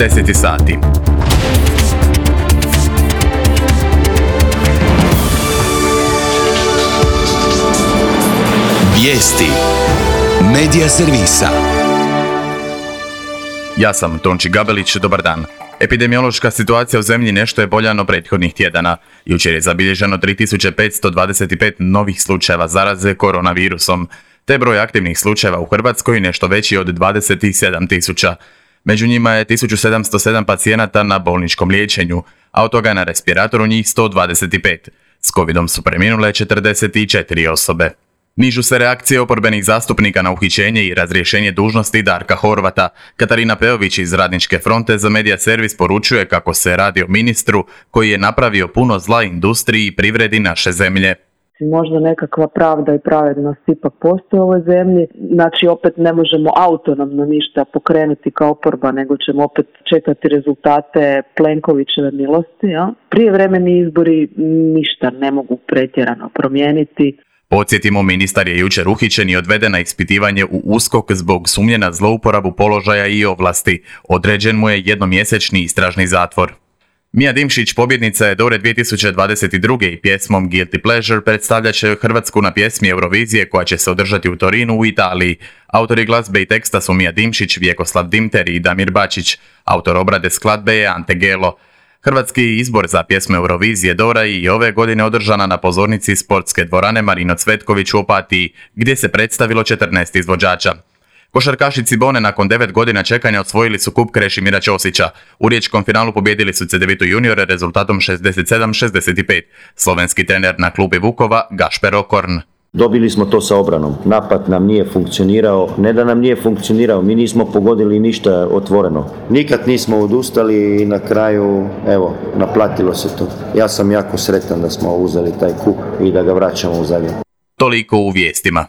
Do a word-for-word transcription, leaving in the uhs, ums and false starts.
deset sati. Vijesti Medija servisa. Ja sam Tonči Gabelić, dobar dan. Epidemiološka situacija u zemlji nešto je bolja no prethodnih tjedana. Jučer je zabilježeno tri tisuće petsto dvadeset pet novih slučajeva zaraze koronavirusom, te broj aktivnih slučajeva u Hrvatskoj nešto veći od dvadeset sedam tisuća. Među njima je tisuću sedamsto sedam pacijenata na bolničkom liječenju, a od toga je na respiratoru njih sto dvadeset pet. S covidom su preminule četrdeset četiri osobe. Nižu se reakcije oporbenih zastupnika na uhićenje i razrješenje dužnosti Darka Horvata. Katarina Peović iz Radničke fronte za Medija servis poručuje kako se radi o ministru koji je napravio puno zla industriji i privredi naše zemlje. Možda nekakva pravda i pravednost ipak postoji u ovoj zemlji. Znači opet ne možemo autonomno ništa pokrenuti kao oporba, nego ćemo opet čekati rezultate Plenkovićeve milosti. Ja? Prijevremeni izbori ništa ne mogu pretjerano promijeniti. Podsjetimo, ministar je jučer uhićen i odveden na ispitivanje u USKOK zbog sumnje na zlouporabu položaja i ovlasti. Određen mu je jednomjesečni istražni zatvor. Mija Dimšić, pobjednica je Dore dvije tisuće dvadeset druge i pjesmom Guilty Pleasure predstavljat će Hrvatsku na pjesmi Eurovizije koja će se održati u Torinu u Italiji. Autori glazbe i teksta su Mija Dimšić, Vjekoslav Dimter i Damir Bačić. Autor obrade skladbe je Ante Gelo. Hrvatski izbor za pjesmu Eurovizije Dora i ove godine održana na pozornici sportske dvorane Marino Cvetković u Opatiji, gdje se predstavilo četrnaest izvođača. Košarkaši Cibone nakon devet godina čekanja osvojili su kup Krešimira Ćosića. U riječkom finalu pobijedili su Cedevitu juniore rezultatom šezdeset sedam šezdeset pet. Slovenski trener na klubi Vukova Gašper Okorn. Dobili smo to sa obranom. Napad nam nije funkcionirao. Ne da nam nije funkcionirao, mi nismo pogodili ništa otvoreno. Nikad nismo odustali i na kraju, evo, naplatilo se to. Ja sam jako sretan da smo uzeli taj kup i da ga vraćamo u Zagreb. Toliko u vijestima.